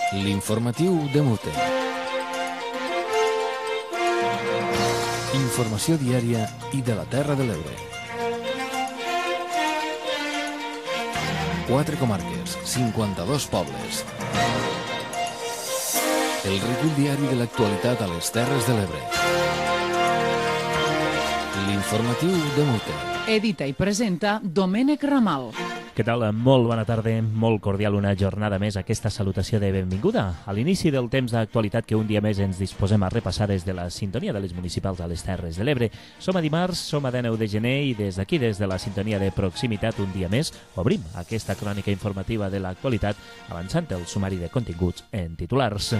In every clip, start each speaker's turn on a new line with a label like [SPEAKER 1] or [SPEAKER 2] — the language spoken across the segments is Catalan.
[SPEAKER 1] L'informatiu de Mute. Informació diària i de la Terra de l'Ebre. 4 comarques, 52 pobles. El recull diari de l'actualitat a les Terres de l'Ebre. L'informatiu de Mute.
[SPEAKER 2] Edita i presenta Domènec Ramal.
[SPEAKER 3] Què tal? Molt bona tarda, molt cordial una jornada més, aquesta salutació de benvinguda a l'inici del temps d'actualitat que un dia més ens disposem a repassar des de la sintonia de les municipals a les Terres de l'Ebre. Som a dimarts, som a 19 de gener i des d'aquí, des de la sintonia de proximitat, un dia més, obrim aquesta crònica informativa de l'actualitat avançant el sumari de continguts en titulars.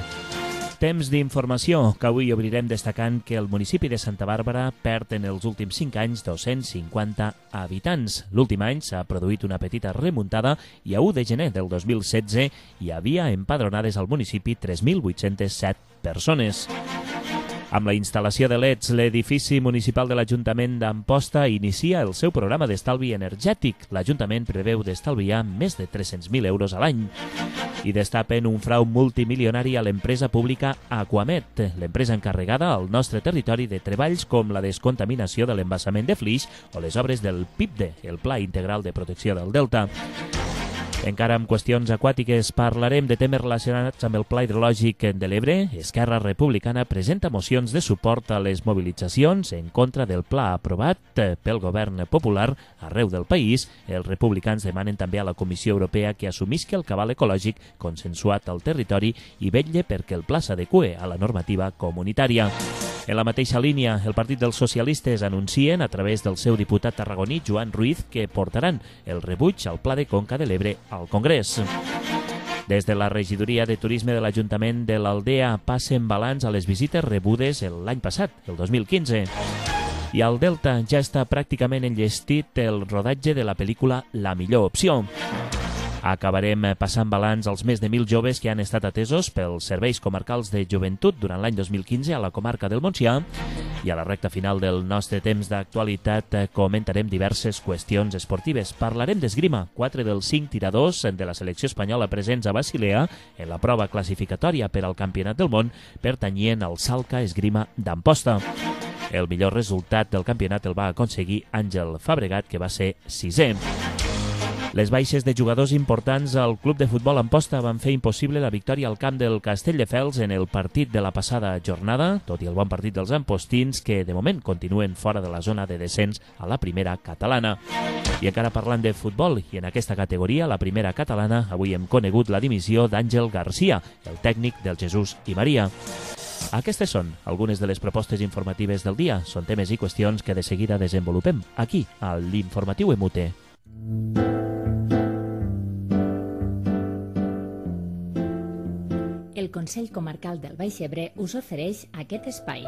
[SPEAKER 3] Temps d'informació, que avui obrirem destacant que el municipi de Santa Bàrbara perd en els últims 5 anys 250 habitants. L'últim any s'ha produït una petita remuntada i a 1 de gener del 2016 hi havia empadronades al municipi 3.807 persones. Amb la instal·lació de LEDs, l'edifici municipal de l'Ajuntament d'Amposta inicia el seu programa d'estalvi energètic. L'Ajuntament preveu d'estalviar més de 300.000 euros a l'any. I destapen un frau multimilionari a l'empresa pública Aquamet, l'empresa encarregada al nostre territori de treballs com la descontaminació de l'embassament de Flix o les obres del PIPDE, el Pla Integral de Protecció del Delta. Encara amb qüestions aquàtiques parlarem de temes relacionats amb el Pla Hidrològic de l'Ebre. Esquerra Republicana presenta mocions de suport a les mobilitzacions en contra del pla aprovat pel govern popular arreu del país. Els republicans demanen també a la Comissió Europea que assumisca el cabal ecològic consensuat al territori i vetlle perquè el pla s'adeqüe a la normativa comunitària. En la mateixa línia, el Partit dels Socialistes anuncien a través del seu diputat tarragoní, Joan Ruiz, que portaran el rebuig al Pla de Conca de l'Ebre al Congrés. Des de la regidoria de turisme de l'Ajuntament de l'Aldea passen balanç a les visites rebudes l'any passat, el 2015. I al Delta ja està pràcticament enllestit el rodatge de la pel·lícula La millor opció. Acabarem passant balanç als més de 1.000 joves que han estat atesos pels serveis comarcals de joventut durant l'any 2015 a la comarca del Montsià. I a la recta final del nostre temps d'actualitat comentarem diverses qüestions esportives. Parlarem d'esgrima. 4 dels 5 tiradors de la selecció espanyola presents a Basilea en la prova classificatòria per al Campionat del Món pertanyien al Salca Esgrima d'Amposta. El millor resultat del campionat el va aconseguir Àngel Fabregat, que va ser 6è. Les baixes de jugadors importants al club de futbol Amposta van fer impossible la victòria al camp del Castelldefels en el partit de la passada jornada, tot i el bon partit dels ampostins, que de moment continuen fora de la zona de descens a la primera catalana. I encara parlant de futbol, i en aquesta categoria, la primera catalana, avui hem conegut la dimissió d'Àngel Garcia, el tècnic del Jesús i Maria. Aquestes són algunes de les propostes informatives del dia. Són temes i qüestions que de seguida desenvolupem aquí, a l'Informatiu Emute.
[SPEAKER 4] El Consell Comarcal del Baix Ebre us ofereix aquest espai.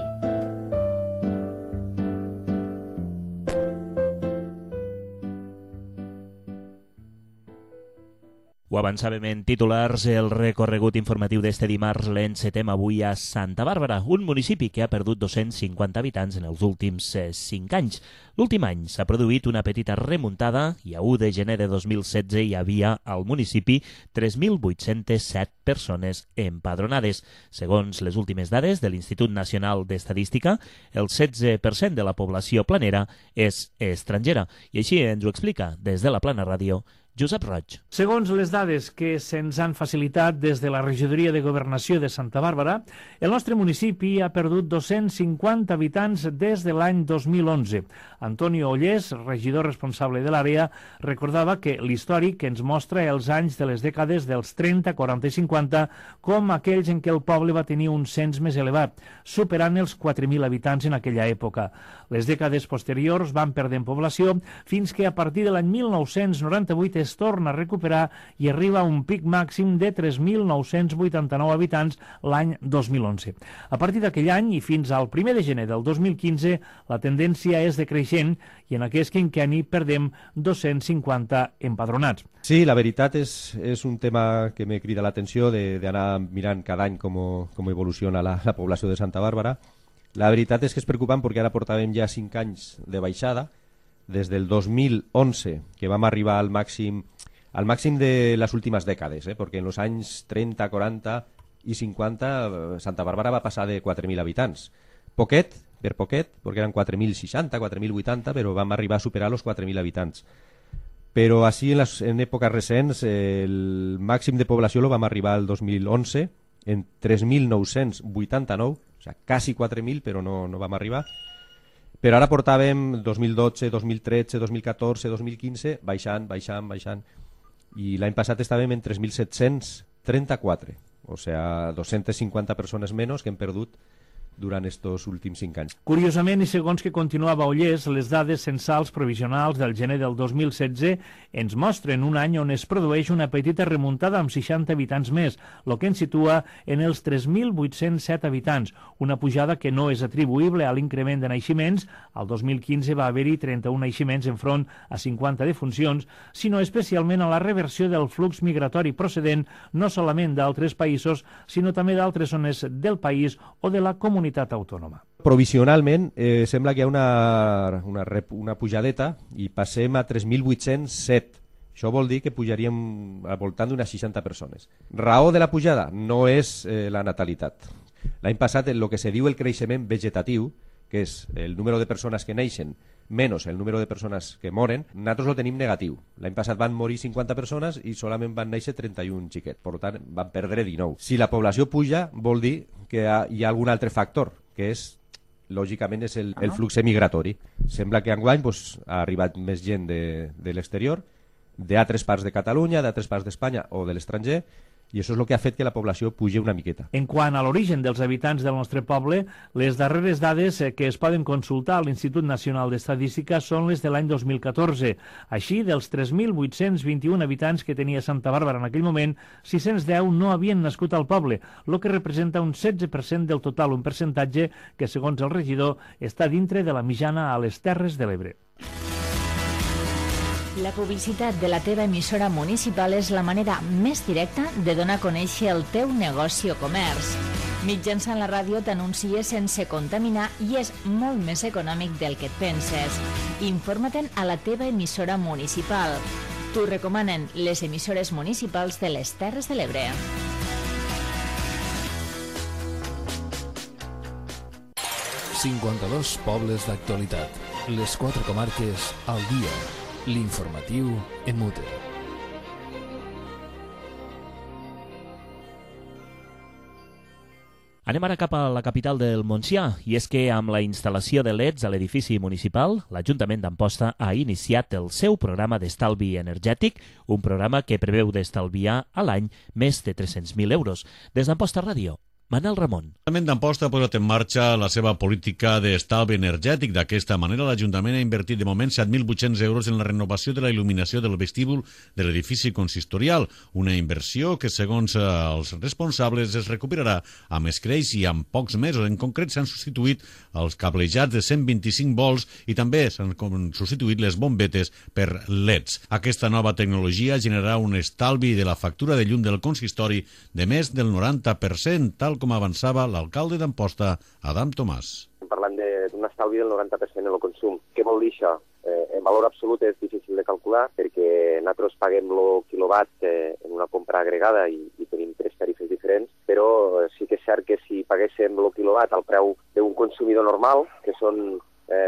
[SPEAKER 3] Ho avançàvem en titulars, el recorregut informatiu d'este dimarts l'encetem avui a Santa Bàrbara, un municipi que ha perdut 250 habitants en els últims 5 anys. L'últim any s'ha produït una petita remuntada i a 1 de gener de 2016 hi havia al municipi 3.807 persones empadronades. Segons les últimes dades de l'Institut Nacional d'Estadística, el 16% de la població planera és estrangera. I així ens ho explica des de la Plana Ràdio Josep Roig.
[SPEAKER 5] Segons les dades que se'ns han facilitat des de la Regidoria de Governació de Santa Bàrbara, el nostre municipi ha perdut 250 habitants des de l'any 2011. Antonio Ollés, regidor responsable de l'àrea, recordava que l'històric ens mostra els anys de les dècades dels 30, 40 i 50 com aquells en què el poble va tenir un cens més elevat, superant els 4.000 habitants en aquella època. Les dècades posteriors van perdent població fins que a partir de l'any 1998 es torna a recuperar i arriba a un pic màxim de 3.989 habitants l'any 2011. A partir d'aquell any i fins al 1 de gener del 2015, la tendència és decreixent i en aquest quinquenni perdem 250 empadronats.
[SPEAKER 6] Sí, la veritat és un tema que me crida l'atenció d'anar mirant cada any com evoluciona la població de Santa Bàrbara. La veritat és que és preocupant perquè ara portàvem ja 5 anys de baixada, des del 2011, que vam arribar al màxim al màxim de les últimes dècades, perquè en els anys 30, 40 i 50 Santa Bàrbara va passar de 4.000 habitants. Poquet, per poquet, perquè eren 4.060, 4.080, però vam arribar a superar els 4.000 habitants. Però així en èpoques recents el màxim de població lo vam arribar al 2011 en 3.989, o sigui, quasi 4.000, però no vam arribar. Però ara portàvem 2012, 2013, 2014, 2015 baixant. I l'any passat estàvem en 3.734, o sigui, 250 persones menys que hem perdut durant estos últims 5 anys.
[SPEAKER 5] Curiosament, i segons que continuava Ollers, les dades censals provisionals del gener del 2016 ens mostren un any on es produeix una petita remuntada amb 60 habitants més, el que ens situa en els 3.807 habitants, una pujada que no és atribuïble a l'increment de naixements. Al 2015 va haver-hi 31 naixements enfront a 50 defuncions, sinó especialment a la reversió del flux migratori procedent no solament d'altres països, sinó també d'altres zones del país o de la comunitat autònoma.
[SPEAKER 6] Provisionalment sembla que hi ha una pujadeta i passem a 3.807. Això vol dir que pujaríem al voltant d'unes 60 persones. Raó de la pujada no és la natalitat. L'any passat el que se diu el creixement vegetatiu, que és el número de persones que neixen menys el número de persones que moren, nosaltres ho tenim negatiu. L'any passat van morir 50 persones i solament van néixer 31 xiquets, per tant van perdre 19. Si la població puja vol dir que hi ha algun altre factor, que és, lògicament, és el flux migratori. Sembla que enguany ha arribat més gent de l'exterior, d'altres parts de Catalunya, d'altres parts d'Espanya o de l'estranger, i això és el que ha fet que la població pugi una miqueta.
[SPEAKER 5] En quant a l'origen dels habitants del nostre poble, les darreres dades que es poden consultar a l'Institut Nacional d'Estadística són les de l'any 2014. Així, dels 3.821 habitants que tenia Santa Bàrbara en aquell moment, 610 no havien nascut al poble, el que representa un 16% del total, un percentatge que, segons el regidor, està dintre de la mitjana a les Terres de l'Ebre.
[SPEAKER 4] La publicitat de la teva emissora municipal és la manera més directa de donar a conèixer el teu negoci o comerç. Mitjançant la ràdio t'anuncies sense contaminar i és molt més econòmic del que et penses. Informa-te'n a la teva emissora municipal. T'ho recomanen les emissores municipals de les Terres de l'Ebre.
[SPEAKER 1] ...52 pobles d'actualitat. Les 4 comarques al dia. L'informatiu en mute.
[SPEAKER 3] Anem ara cap a la capital del Montsià, i és que amb la instal·lació de LEDs a l'edifici municipal, l'Ajuntament d'Amposta ha iniciat el seu programa d'estalvi energètic, un programa que preveu d'estalviar a l'any més de 300.000 euros. Des d'Amposta Ràdio, Manel Ramon.
[SPEAKER 7] L'Ajuntament d'Amposta ha posat en marxa la seva política d'estalvi energètic. D'aquesta manera, l'Ajuntament ha invertit de moment 7.800 euros en la renovació de la il·luminació del vestíbul de l'edifici consistorial, una inversió que, segons els responsables, es recuperarà amb escreix i amb pocs mesos. En concret, s'han substituït els cablejats de 125 volts i també s'han substituït les bombetes per LEDs. Aquesta nova tecnologia generarà un estalvi de la factura de llum del consistori de més del 90%, tal com avançava l'alcalde d'Amposta, Adam Tomàs.
[SPEAKER 8] Estem parlant d'un estalvi del 90% en el consum. Què vol dir això? En valor absolut és difícil de calcular perquè nosaltres paguem el quilowatt en una compra agregada i tenim 3 tarifes diferents, però sí que és cert que si paguéssim el quilowatt al preu d'un consumidor normal, que són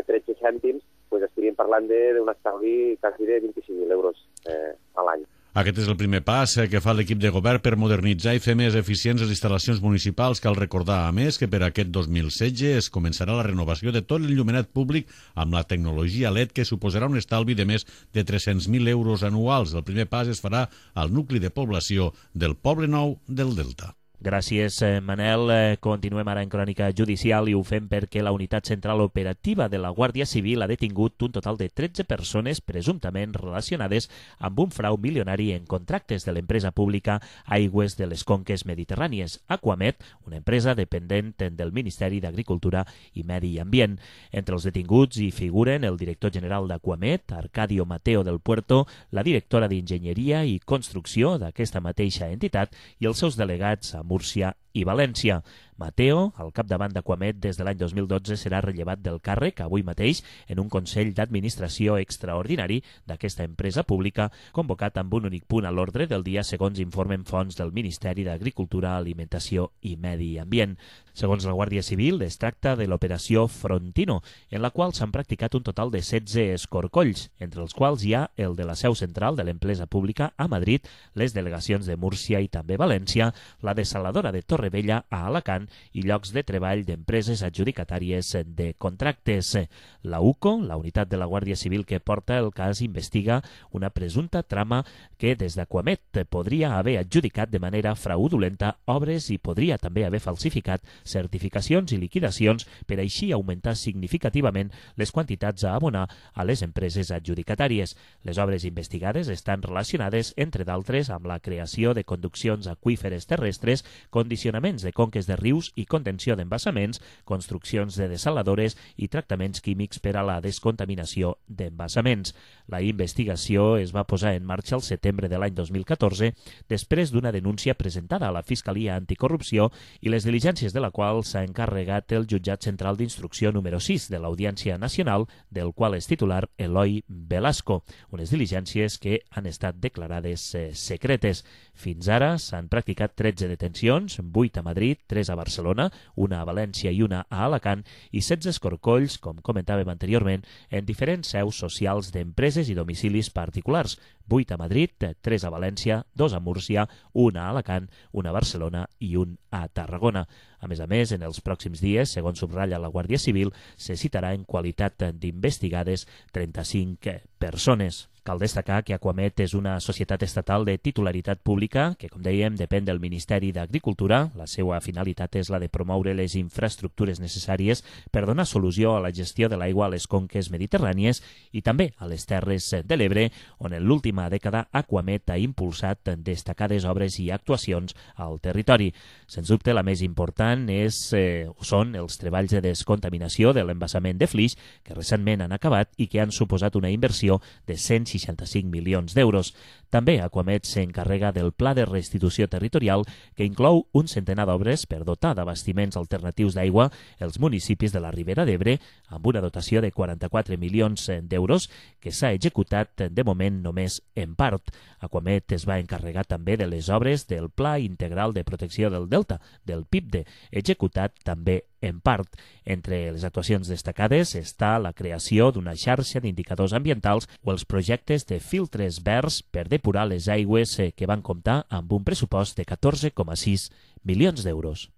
[SPEAKER 8] 13 cèntims, doncs estaríem parlant d'un estalvi quasi de 25.000 euros a l'any.
[SPEAKER 7] Aquest és el primer pas que fa l'equip de govern per modernitzar i fer més eficients les instal·lacions municipals. Cal recordar, a més, que per aquest 2016 es començarà la renovació de tot l'enllumenat públic amb la tecnologia LED, que suposarà un estalvi de més de 300.000 euros anuals. El primer pas es farà al nucli de població del Poble Nou del Delta.
[SPEAKER 3] Gràcies, Manel. Continuem ara en crònica judicial i ho fem perquè la Unitat Central Operativa de la Guàrdia Civil ha detingut un total de 13 persones presumptament relacionades amb un frau milionari en contractes de l'empresa pública Aigües de les Conques Mediterrànies, Aquamet, una empresa dependent del Ministeri d'Agricultura i Medi Ambient. Entre els detinguts hi figuren el director general d'Aquamet, Arcadio Mateo del Puerto, la directora d'Enginyeria i Construcció d'aquesta mateixa entitat i els seus delegats a Múrcia i València. Mateo, al capdavant d'Aquamet des de l'any 2012, serà rellevat del càrrec avui mateix en un Consell d'Administració extraordinari d'aquesta empresa pública convocat amb un únic punt a l'ordre del dia, segons informen fonts del Ministeri d'Agricultura, Alimentació i Medi Ambient. Segons la Guàrdia Civil, es tracta de l'operació Frontino, en la qual s'han practicat un total de 16 escorcolls, entre els quals hi ha el de la seu central de l'empresa pública a Madrid, les delegacions de Múrcia i també València, la desaladora de Torrevella a Alacant i llocs de treball d'empreses adjudicatàries de contractes. La UCO, la unitat de la Guàrdia Civil que porta el cas, investiga una presumpta trama que des d'Aquamet podria haver adjudicat de manera fraudulenta obres i podria també haver falsificat certificacions i liquidacions per així augmentar significativament les quantitats a abonar a les empreses adjudicatàries. Les obres investigades estan relacionades, entre d'altres, amb la creació de conduccions aqüíferes terrestres, condicionaments de conques de rius i contenció d'embassaments, construccions de desaladores i tractaments químics per a la descontaminació d'embassaments. La investigació es va posar en marxa el setembre de l'any 2014 després d'una denúncia presentada a la Fiscalia Anticorrupció i les diligències de la qual s'ha encarregat el Jutjat Central d'Instrucció número 6 de l'Audiència Nacional, del qual és titular Eloi Velasco, unes diligències que han estat declarades secretes. Fins ara s'han practicat 13 detencions, 8 a Madrid, 3 a Barcelona, una a València i una a Alacant, i 16 escorcolls, com comentàvem anteriorment, en diferents seus socials d'empreses i domicilis particulars, 8 a Madrid, 3 a València, 2 a Múrcia, 1 a Alacant, 1 a Barcelona i 1 a Tarragona. A més, en els pròxims dies, segons subratlla la Guàrdia Civil, se citarà en qualitat d'investigades 35 persones. Cal destacar que Aquamet és una societat estatal de titularitat pública que, com dèiem, depèn del Ministeri d'Agricultura. La seva finalitat és la de promoure les infraestructures necessàries per donar solució a la gestió de l'aigua a les conques mediterrànies i també a les Terres de l'Ebre, on en l'última dècada Aquamet ha impulsat destacades obres i actuacions al territori. Sens dubte, la més important són els treballs de descontaminació de l'embassament de Flix, que recentment han acabat i que han suposat una inversió de 165 milions d'euros. També Aquamet s'encarrega del Pla de Restitució Territorial, que inclou un centenar d'obres per dotar d'abastiments alternatius d'aigua els municipis de la Ribera d'Ebre, amb una dotació de 44 milions d'euros, que s'ha executat de moment només en part. Aquamet es va encarregar també de les obres del Pla Integral de Protecció del Delta, del PIPDE, executat també en part. Entre les actuacions destacades està la creació d'una xarxa d'indicadors ambientals o els projectes de filtres verds per depurar les aigües que van comptar amb un pressupost de 14,6 milions d'euros.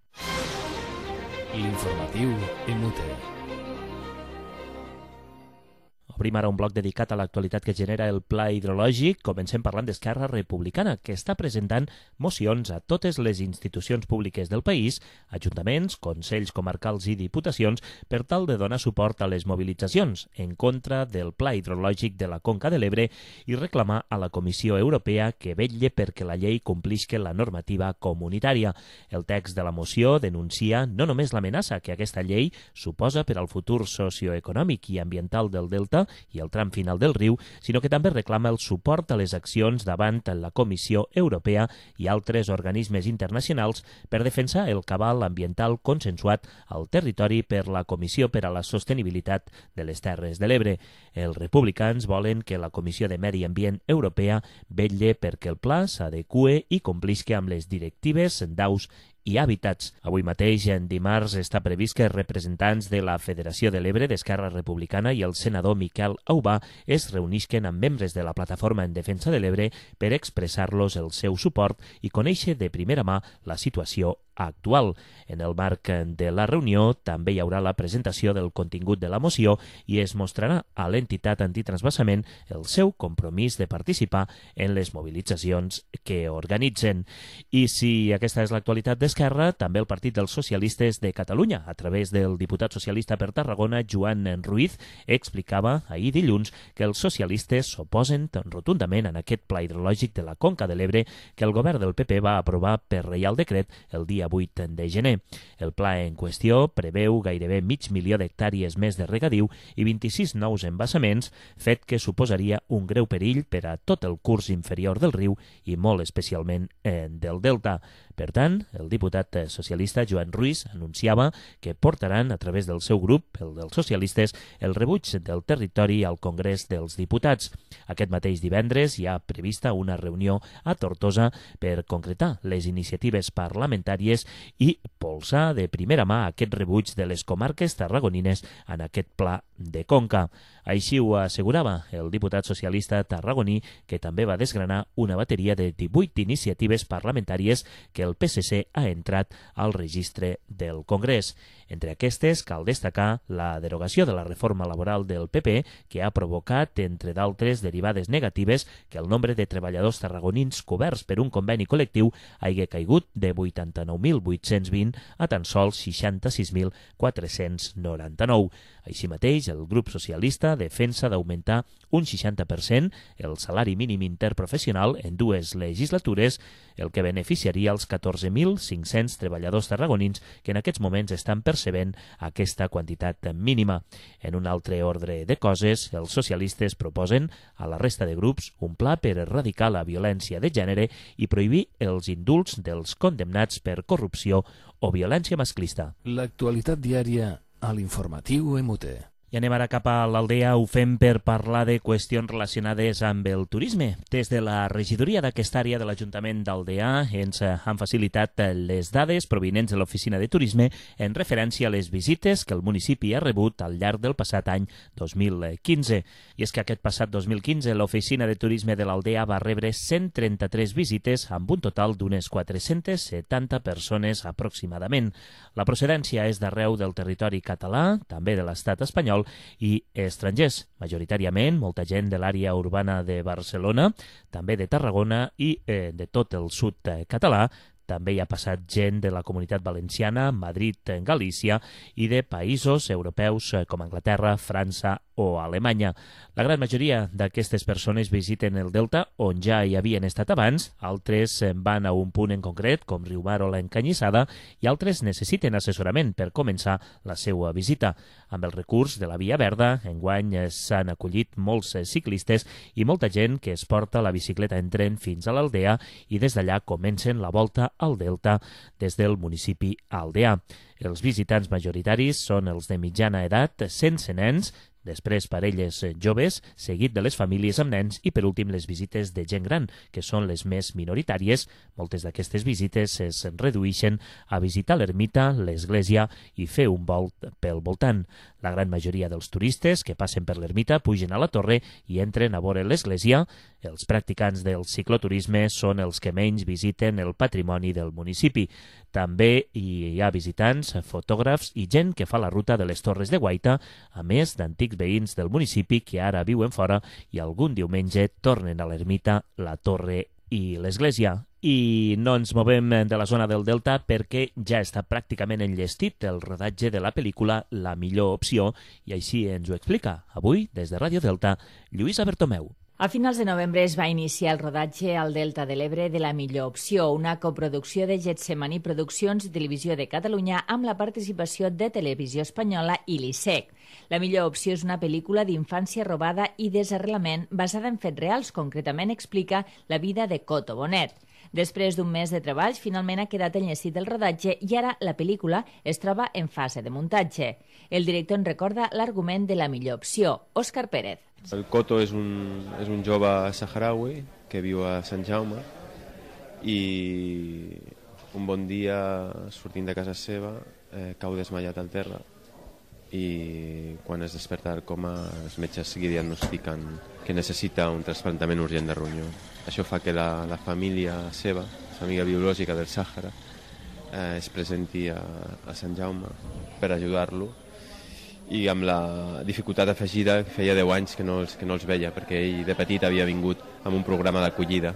[SPEAKER 1] L'informatiu MUTE.
[SPEAKER 3] Obrim ara un bloc dedicat a l'actualitat que genera el Pla Hidrològic. Comencem parlant d'Esquerra Republicana, que està presentant mocions a totes les institucions públiques del país, ajuntaments, consells comarcals i diputacions, per tal de donar suport a les mobilitzacions en contra del Pla Hidrològic de la Conca de l'Ebre i reclamar a la Comissió Europea que vetlle perquè la llei complisca la normativa comunitària. El text de la moció denuncia no només l'amenaça que aquesta llei suposa per al futur socioeconòmic i ambiental del delta i el tram final del riu, sinó que també reclama el suport a les accions davant la Comissió Europea i altres organismes internacionals per defensar el cabal ambiental consensuat al territori per la Comissió per a la Sostenibilitat de les Terres de l'Ebre. Els republicans volen que la Comissió de Medi Ambient Europea vetlle perquè el pla s'adeqüe i complisca amb les directives d'aus i hàbitats. Avui mateix, en dimarts, està previst que representants de la Federació de l'Ebre d'Esquerra Republicana i el senador Miquel Aubà es reunisquen amb membres de la Plataforma en Defensa de l'Ebre per expressar-los el seu suport i conèixer de primera mà la situació actual. En el marc de la reunió també hi haurà la presentació del contingut de la moció i es mostrarà a l'entitat antitransvasament el seu compromís de participar en les mobilitzacions que organitzen. I si aquesta és l'actualitat d'Esquerra, també el Partit dels Socialistes de Catalunya, a través del diputat socialista per Tarragona, Joan Ruiz, explicava ahir dilluns que els socialistes s'oposen rotundament en aquest pla hidrològic de la Conca de l'Ebre que el govern del PP va aprovar per reial decret el dia dia 8 de gener. El pla en qüestió preveu gairebé 500.000 d'hectàrees més de regadiu i 26 nous embassaments, fet que suposaria un greu perill per a tot el curs inferior del riu i molt especialment del delta. Per tant, el diputat socialista Joan Ruiz anunciava que portaran a través del seu grup, el dels socialistes, el rebuig del territori al Congrés dels Diputats. Aquest mateix divendres hi ha prevista una reunió a Tortosa per concretar les iniciatives parlamentàries i polsar de primera mà aquest rebuig de les comarques tarragonines en aquest pla de conca. Així ho assegurava el diputat socialista tarragoní, que també va desgranar una bateria de 18 iniciatives parlamentàries que el PSC ha entrat al registre del Congrés. Entre aquestes cal destacar la derogació de la reforma laboral del PP, que ha provocat, entre d'altres derivades negatives, que el nombre de treballadors tarragonins coberts per un conveni col·lectiu hagi caigut de 89.820 a tan sols 66.499. Així mateix, el grup socialista defensa d'augmentar un 60% el salari mínim interprofessional en 2 legislatures, el que beneficiaria els 14.500 treballadors tarragonins que en aquests moments estan percebent aquesta quantitat mínima. En un altre ordre de coses, els socialistes proposen a la resta de grups un pla per erradicar la violència de gènere i prohibir els indults dels condemnats per corrupció o violència masclista.
[SPEAKER 1] L'actualitat diària a l'informatiu MUT.
[SPEAKER 3] I anem ara cap a l'Aldea, ho fem per parlar de qüestions relacionades amb el turisme. Des de la regidoria d'aquesta àrea de l'Ajuntament d'Aldea ens han facilitat les dades provinents de l'Oficina de Turisme en referència a les visites que el municipi ha rebut al llarg del passat any 2015. I és que aquest passat 2015 l'Oficina de Turisme de l'Aldea va rebre 133 visites amb un total d'unes 470 persones aproximadament. La procedència és d'arreu del territori català, també de l'estat espanyol, i estrangers, majoritàriament molta gent de l'àrea urbana de Barcelona, també de Tarragona i de tot el sud català. També hi ha passat gent de la Comunitat Valenciana, Madrid, Galícia i de països europeus com Anglaterra, França o Alemanya. La gran majoria d'aquestes persones visiten el Delta, on ja hi havien estat abans, altres van a un punt en concret, com Riumar o l'Encanyissada, i altres necessiten assessorament per començar la seva visita. Amb el recurs de la Via Verda, enguany s'han acollit molts ciclistes i molta gent que es porta la bicicleta en tren fins a l'Aldea i des d'allà comencen la volta al Delta des del municipi aldeà. Els visitants majoritaris són els de mitjana edat, sense nens, després parelles joves, seguit de les famílies amb nens i, per últim, les visites de gent gran, que són les més minoritàries. Moltes d'aquestes visites es redueixen a visitar l'ermita, l'església i fer un volt pel voltant. La gran majoria dels turistes que passen per l'ermita pugen a la torre i entren a veure l'església. Els practicants del cicloturisme són els que menys visiten el patrimoni del municipi. També hi ha visitants, fotògrafs i gent que fa la ruta de les Torres de Guaita, a més d'antics veïns del municipi que ara viuen fora i algun diumenge tornen a l'ermita, la torre i l'església. I no ens movem de la zona del Delta perquè ja està pràcticament enllestit el rodatge de la pel·lícula La millor opció, i així ens ho explica avui, des de Ràdio Delta, Lluïsa Bertomeu.
[SPEAKER 4] A finals de novembre es va iniciar el rodatge al Delta de l'Ebre de La millor opció, una coproducció de Getsemani Produccions i Televisió de Catalunya amb la participació de Televisió Espanyola i l'ISEC. La millor opció és una pel·lícula d'infància robada i desarrelament basada en fets reals, concretament explica la vida de Coto Bonet. Després d'un mes de treballs, finalment ha quedat enllestit el rodatge i ara la pel·lícula es troba en fase de muntatge. El director en recorda l'argument de La millor opció. Òscar Pérez.
[SPEAKER 9] El Coto és un jove saharaui que viu a Sant Jaume i un bon dia, sortint de casa seva, cau desmaiat al terra i quan es desperta del coma els metges li diagnostiquen que necessita un trasplantament urgent de ronyó. Això fa que la família seva, la família biològica del Sàhara, es presenti a Sant Jaume per ajudar-lo, i amb la dificultat afegida que feia 10 anys que no els veia, perquè ell de petit havia vingut amb un programa d'acollida.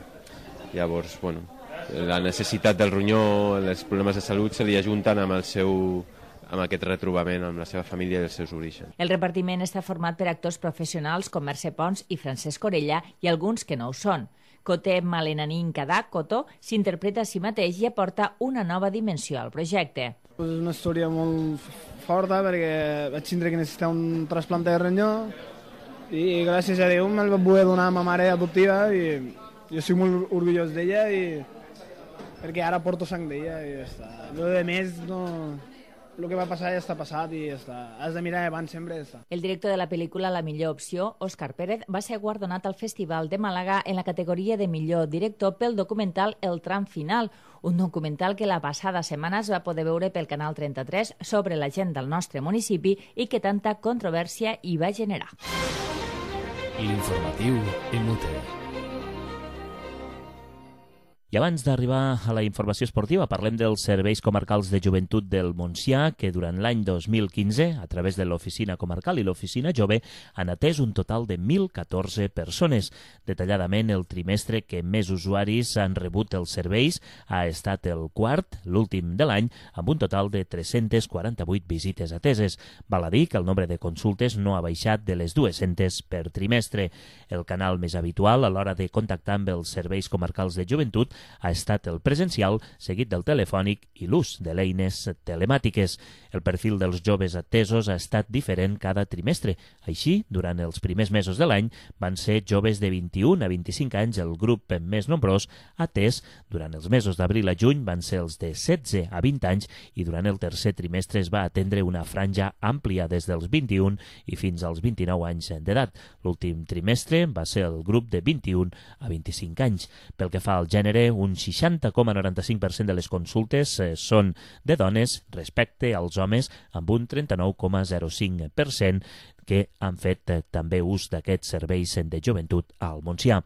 [SPEAKER 9] Llavors, bueno, la necessitat del ronyó, els problemes de salut se li ajunten amb aquest retrobament amb la seva família i els seus orígens.
[SPEAKER 4] El repartiment està format per actors professionals com Mercè Pons i Francesc Orella i alguns que no ho són. Coté Malenanín Kadà, Cotó, s'interpreta a si mateix i aporta una nova dimensió al projecte.
[SPEAKER 10] És una història molt forta perquè vaig tindre que necessitar un trasplante de ronyó i gràcies a Déu me'l va poder donar a ma mare adoptiva i jo estic molt orgullós d'ella perquè ara porto sang d'ella i ja està. Lo de més no... El que va passar ja està passat i ja està. Has de mirar abans sempre i ja està.
[SPEAKER 4] El director de la pel·lícula La millor opció, Òscar Pérez, va ser guardonat al Festival de Màlaga en la categoria de millor director pel documental El tram final, un documental que la passada setmana es va poder veure pel Canal 33 sobre la gent del nostre municipi i que tanta controvèrsia hi va generar.
[SPEAKER 1] L'informatiu en Mute.
[SPEAKER 3] I abans d'arribar a la informació esportiva, parlem dels serveis comarcals de joventut del Montsià, que durant l'any 2015, a través de l'Oficina Comarcal i l'Oficina Jove, han atès un total de 1.014 persones. Detalladament, el trimestre que més usuaris han rebut els serveis ha estat el quart, l'últim de l'any, amb un total de 348 visites ateses. Val a dir que el nombre de consultes no ha baixat de les 200 per trimestre. El canal més habitual a l'hora de contactar amb els serveis comarcals de joventut ha estat el presencial, seguit del telefònic i l'ús de l'eines telemàtiques. El perfil dels joves atesos ha estat diferent cada trimestre. Així, durant els primers mesos de l'any, van ser joves de 21 a 25 anys el grup més nombrós atès. Durant els mesos d'abril a juny van ser els de 16 a 20 anys i durant el tercer trimestre es va atendre una franja àmplia des dels 21 i fins als 29 anys d'edat. L'últim trimestre va ser el grup de 21 a 25 anys. Pel que fa al gènere, un 60,95% de les consultes són de dones respecte als homes, amb un 39,05% que han fet també ús d'aquests serveis de joventut al Montsià.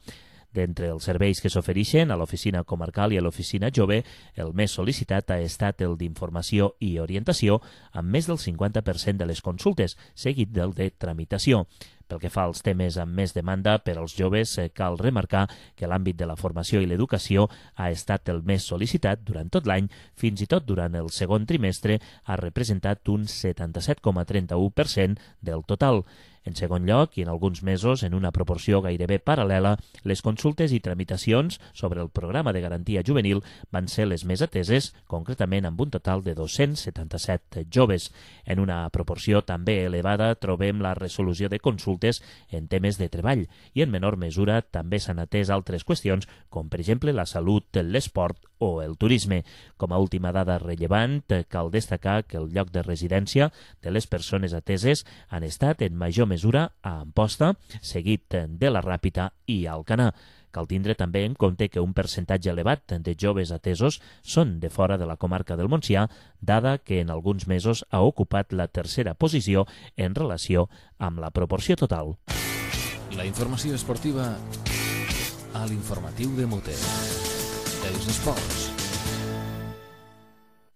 [SPEAKER 3] D'entre els serveis que s'ofereixen a l'Oficina Comarcal i a l'Oficina Jove, el més sol·licitat ha estat el d'informació i orientació, amb més del 50% de les consultes, seguit del de tramitació. Pel que fa als temes amb més demanda per als joves, cal remarcar que l'àmbit de la formació i l'educació ha estat el més sol·licitat durant tot l'any, fins i tot durant el segon trimestre ha representat un 77,31% del total. En segon lloc, i en alguns mesos, en una proporció gairebé paral·lela, les consultes i tramitacions sobre el programa de garantia juvenil van ser les més ateses, concretament amb un total de 277 joves. En una proporció també elevada trobem la resolució de consultes en temes de treball i en menor mesura també s'han atès altres qüestions com per exemple la salut, l'esport o el turisme. Com a última dada rellevant, cal destacar que el lloc de residència de les persones ateses han estat en major mesura a Amposta, seguit de la Ràpita i Alcanar. Cal tindre també en compte que un percentatge elevat de joves atesos són de fora de la comarca del Montsià, dada que en alguns mesos ha ocupat la tercera posició en relació amb la proporció total.
[SPEAKER 1] La informació esportiva a l'informatiu de Mute. Els esports.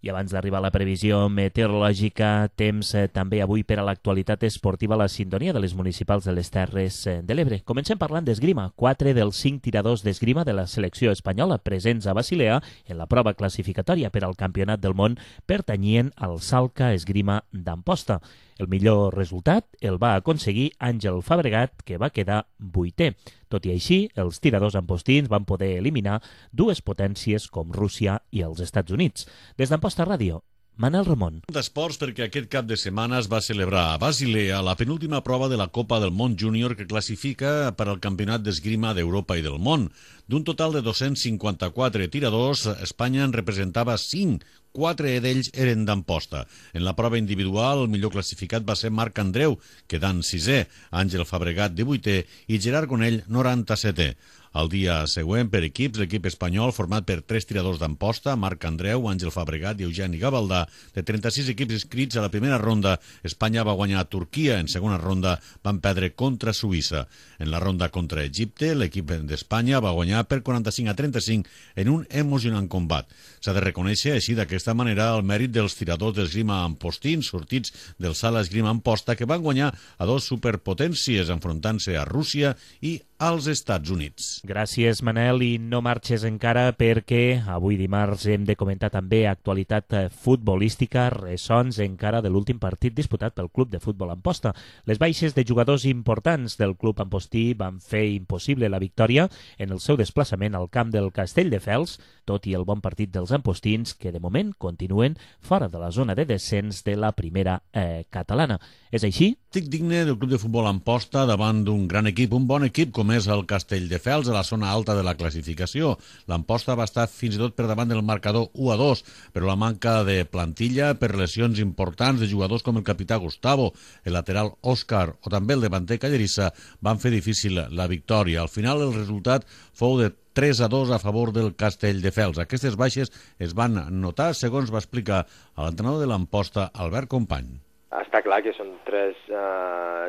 [SPEAKER 3] I abans d'arribar a la previsió meteorològica, temps també avui per a l'actualitat esportiva a la sintonia de les municipals de les Terres de l'Ebre. Comencem parlant d'esgrima. 4 dels 5 tiradors d'esgrima de la selecció espanyola presents a Basilea en la prova classificatòria per al Campionat del Món pertanyien al Salca Esgrima d'Amposta. El millor resultat el va aconseguir Àngel Fabregat, que va quedar 8è. Tot i així, els tiradors ampostins van poder eliminar dues potències com Rússia i els Estats Units. Des d'Amposta Ràdio, Manel Ramon.
[SPEAKER 7] D'esports, perquè aquest cap de setmana es va celebrar a Basilea la penúltima prova de la Copa del Món Júnior que classifica per al Campionat d'Esgrima d'Europa i del Món. D'un total de 254 tiradors, Espanya en representava 5, 4 d'ells eren d'Amposta. En la prova individual, el millor classificat va ser Marc Andreu, quedant 6è, Àngel Fabregat 18è i Gerard Gonell 97è. El dia següent, per equips, l'equip espanyol, format per 3 tiradors d'Amposta, Marc Andreu, Àngel Fabregat i Eugeni Gavaldà, de 36 equips inscrits a la primera ronda, Espanya va guanyar a Turquia, en segona ronda van perdre contra Suïssa. En la ronda contra Egipte, l'equip d'Espanya va guanyar per 45-35 en un emocionant combat. S'ha de reconèixer així d'aquesta manera el mèrit dels tiradors d'esgrima ampostins sortits del Sala Esgrima Amposta que van guanyar a 2 superpotències enfrontant-se a Rússia i als Estats Units.
[SPEAKER 3] Gràcies, Manel, i no marxes encara perquè avui dimarts hem de comentar també actualitat futbolística, ressons encara de l'últim partit disputat pel Club de Futbol Amposta. Les baixes de jugadors importants del club ampostí van fer impossible la victòria en el seu desplaçament al camp del Castelldefels, tot i el bon partit dels ampostins, que de moment continuen fora de la zona de descens de la primera catalana. És així?
[SPEAKER 7] Tic digne del Club de Futbol Amposta davant d'un gran equip, un bon equip com és el Castelldefels, a la zona alta de la classificació. L'Amposta va estar fins i tot per davant del marcador 1-2, però la manca de plantilla per lesions importants de jugadors com el capità Gustavo, el lateral Òscar o també el davanter Callerissa van fer difícil la victòria. Al final el resultat fou de 3-2 a favor del Castelldefels. Aquestes baixes es van notar, segons va explicar l'entrenador de l'Amposta, Albert Company.
[SPEAKER 11] Està clar que són tres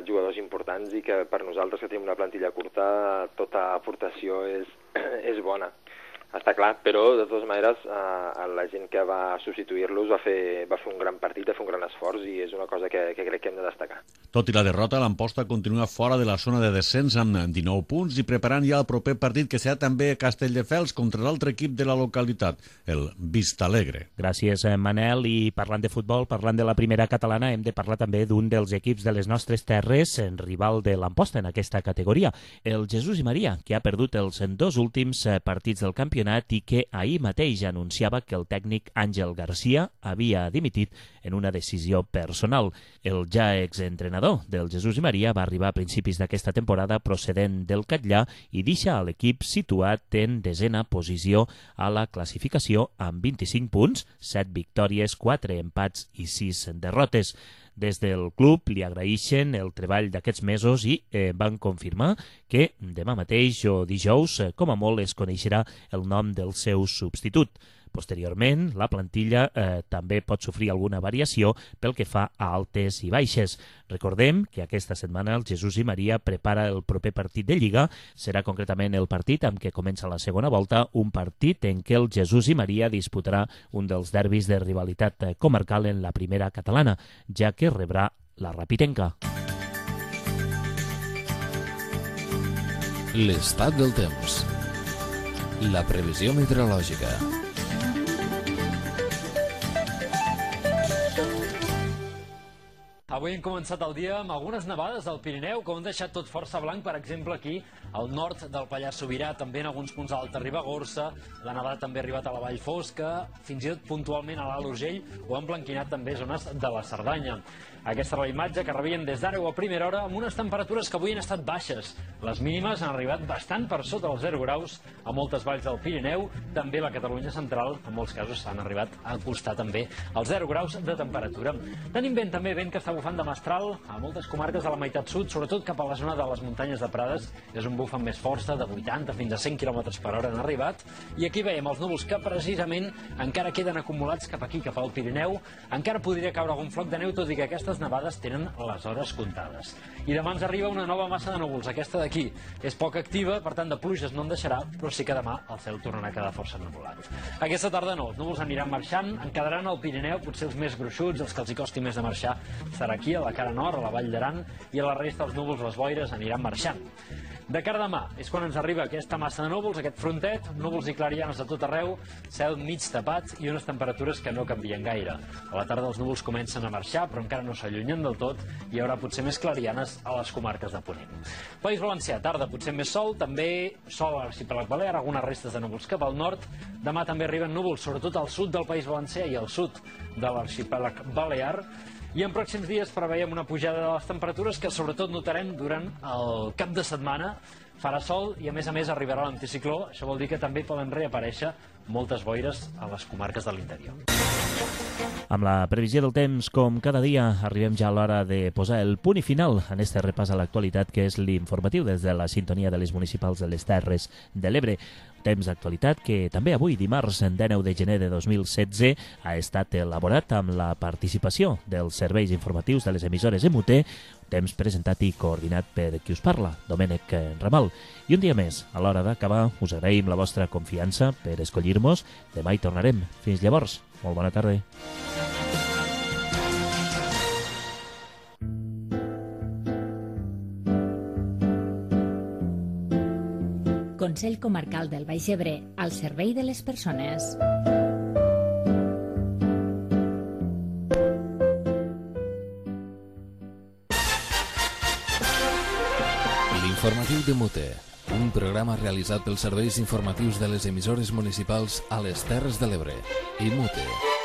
[SPEAKER 11] jugadors importants i que per nosaltres, que tenim una plantilla curta, tota aportació és bona. Està clar, però de totes maneres la gent que va substituir-los va fer un gran partit, va fer un gran esforç i és una cosa que crec que hem de destacar.
[SPEAKER 7] Tot i la derrota, l'Amposta continua fora de la zona de descens amb 19 punts i preparant ja el proper partit que serà també a Castelldefels contra l'altre equip de la localitat, el Vistalegre.
[SPEAKER 3] Gràcies, Manel. I parlant de futbol, parlant de la primera catalana, hem de parlar també d'un dels equips de les nostres terres, rival de l'Amposta en aquesta categoria, el Jesús i Maria, que ha perdut els dos últims partits del campionat i que ahir mateix anunciava que el tècnic Àngel Garcia havia dimitit en una decisió personal. El ja exentrenador del Jesús i Maria va arribar a principis d'aquesta temporada procedent del Catllà i deixa a l'equip situat en desena posició a la classificació amb 25 punts, 7 victòries, 4 empats i 6 derrotes. Des del club li agraeixen el treball d'aquests mesos i van confirmar que demà mateix o dijous, com a molt, es coneixerà el nom del seu substitut. Posteriorment, la plantilla també pot sofrir alguna variació pel que fa a altes i baixes. Recordem que aquesta setmana el Jesús i Maria prepara el proper partit de Lliga. Serà concretament el partit amb què comença la segona volta, un partit en què el Jesús i Maria disputarà un dels derbis de rivalitat comarcal en la primera catalana, ja que rebrà la Rapitenca.
[SPEAKER 1] L'estat del temps. La previsió meteorològica.
[SPEAKER 12] Avui hem començat el dia amb algunes nevades al Pirineu que ho han deixat tot força blanc, per exemple aquí al nord del Pallars Sobirà, també en alguns punts a l'Alta Ribagorça, la nevada també ha arribat a la Vall Fosca, fins i tot puntualment a l'Alt Urgell, o han blanquinat també zones de la Cerdanya. Aquesta era la imatge que rebien des d'ara o a primera hora amb unes temperatures que avui han estat baixes. Les mínimes han arribat bastant per sota dels 0 graus a moltes valls del Pirineu, també la Catalunya central, en molts casos s'han arribat a acostar també als 0 graus de temperatura. Tenim vent també, vent que està bufant de mestral a moltes comarques de la meitat sud, sobretot cap a la zona de les muntanyes de Prades. És un buf amb més força, de 80 fins a 100 km per hora han arribat. I aquí veiem els núvols que precisament encara queden acumulats cap aquí, cap al Pirineu. Encara podria caure algun floc de neu, tot i que aquestes nevades tenen les hores comptades. I demà ens arriba una nova massa de núvols, aquesta d'aquí. És poc activa, per tant de pluges no en deixarà, però sí que demà el cel tornarà a quedar força ennuvolat. Aquesta tarda no, els núvols aniran marxant, en quedaran al Pirineu, potser els més gruixuts, els que els hi costi més de marxar, serà aquí a la cara nord, a la Vall d'Aran, i a la resta els núvols, les boires, aniran marxant. De cara a demà és quan ens arriba aquesta massa de núvols, aquest frontet, núvols i clarianes a tot arreu, cel mig tapat i unes temperatures que no canvien gaire. A la tarda els núvols comencen a marxar, però encara no s'allunyen del tot, i hi haurà potser més clarianes a les comarques de Ponent. País Valencià, tarda potser més sol, també sol a l'arxipèlag balear, algunes restes de núvols cap al nord. Demà també arriben núvols, sobretot al sud del País Valencià i al sud de l'arxipèlag balear. I en pròxims dies preveiem una pujada de les temperatures que sobretot notarem durant el cap de setmana. Farà sol i a més arribarà l'anticicló. Això vol dir que també poden reaparèixer moltes boires a les comarques de l'interior.
[SPEAKER 3] Amb la previsió del temps, com cada dia, arribem ja a l'hora de posar el punt i final en este repàs a l'actualitat, que és l'informatiu des de la sintonia de les municipals de les Terres de l'Ebre. Temps d'actualitat que també avui, dimarts 19 de gener de 2016, ha estat elaborat amb la participació dels serveis informatius de les emissores MUT, temps presentat i coordinat per qui us parla, Domènec Ramal. I un dia més, a l'hora d'acabar, us agraïm la vostra confiança per escollir-nos. Demà hi tornarem. Fins llavors, molt bona tarda.
[SPEAKER 4] Consell Comarcal del Baix Ebre, al servei de les persones.
[SPEAKER 1] L'informatiu de Mute, un programa realitzat pels serveis informatius de les emissores municipals a les Terres de l'Ebre i Mute.